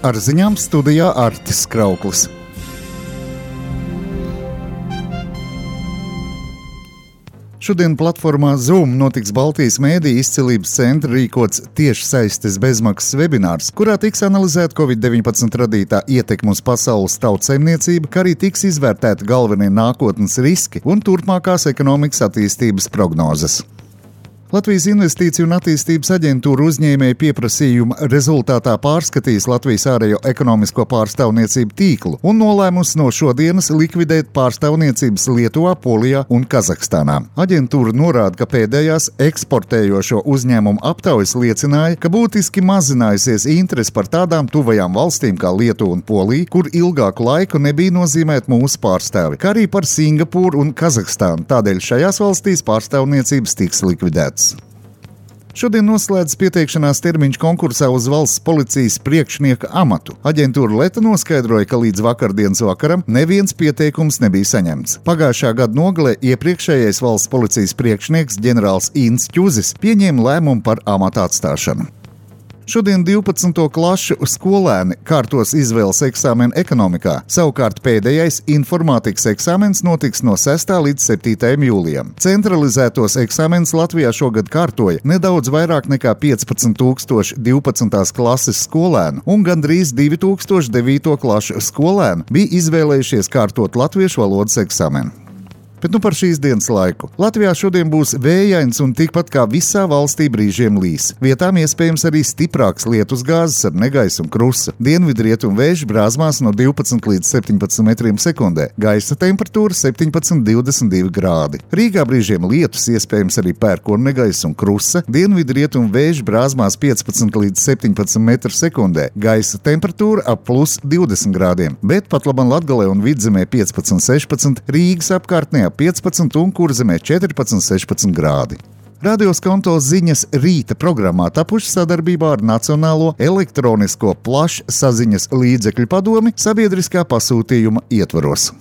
Ar ziņām studijā Artis Krauklis. Šodien platformā Zoom notiks Baltijas mēdīju izcilības centra rīkots tiešsaistes bezmaksas webinārs, kurā tiks analizēta Covid-19 radītā ietekme uz pasaules tautsaimniecību, kā arī tiks izvērtēti galvenie nākotnes riski un turpmākās ekonomikas attīstības prognozes. Latvijas Investīciju un attīstības aģentūra uzņēmēju pieprasījuma rezultātā pārskatīs Latvijas ārējo ekonomisko pārstāvniecību tīklu un nolēmusi no šodienas likvidēt pārstāvniecības Lietuvā, Polijā un Kazahstānā. Aģentūra norāda, ka pēdējās eksportējošo uzņēmumu aptaujas liecināja, ka būtiski mazinājusies interese par tādām tuvajām valstīm kā Lietuva un Polija, kur ilgāku laiku nebija nozīmēti mūsu pārstāvi, kā arī par Singapūru un Kazahstānu. Tādēļ šajās valstīs pārstāvniecības tiks likvidētas. Šodien noslēdzas pieteikšanās termiņš konkursā uz valsts policijas priekšnieka amatu. Aģentūra Leta noskaidroja, ka līdz vakardienas vakaram neviens pieteikums nebija saņemts. Pagājušā gada nogalē iepriekšējais valsts policijas priekšnieks ģenerālis Inns Ķuzis pieņēma lēmumu par amata atstāšanu. Šodien 12. klašu skolēni kārtos izvēles eksāmenu ekonomikā. Savukārt pēdējais informātikas eksāmens notiks no 6. līdz 7. jūlijam. Centralizētos eksāmenus Latvijā šogad kārtoja nedaudz vairāk nekā 15,000 12. klases skolēnu, un gandrīz 2,000 9. klašu skolēnu bija izvēlējušies kārtot latviešu valodas eksāmenu. Bet par šīs dienas laiku. Latvijā šodien būs vējains un tikpat kā visā valstī brīžiem līs. Vietām iespējams arī stiprāks lietusgāzes ar negaisu un krusa. Dienvidrietumu vēju brāzmās no 12 līdz 17 metriem sekundē. Gaisa temperatūra 17,22 grādi. Rīgā brīžiem lietus, iespējams arī pērkona negaisu un krusa. Dienvidrietumu vēju brāzmās 15 līdz 17 metru sekundē. Gaisa temperatūra ap plus 20 grādiem. Bet pat labam Latgalē un Vidzemē 15,16, Rīgas apkārtnē 15 un Kurzemē 14,16 grādi. Radio Skonto ziņas rīta programmā tapuši sadarbībā ar Nacionālo elektronisko plašsaziņas līdzekļu padomi sabiedriskā pasūtījuma ietvaros.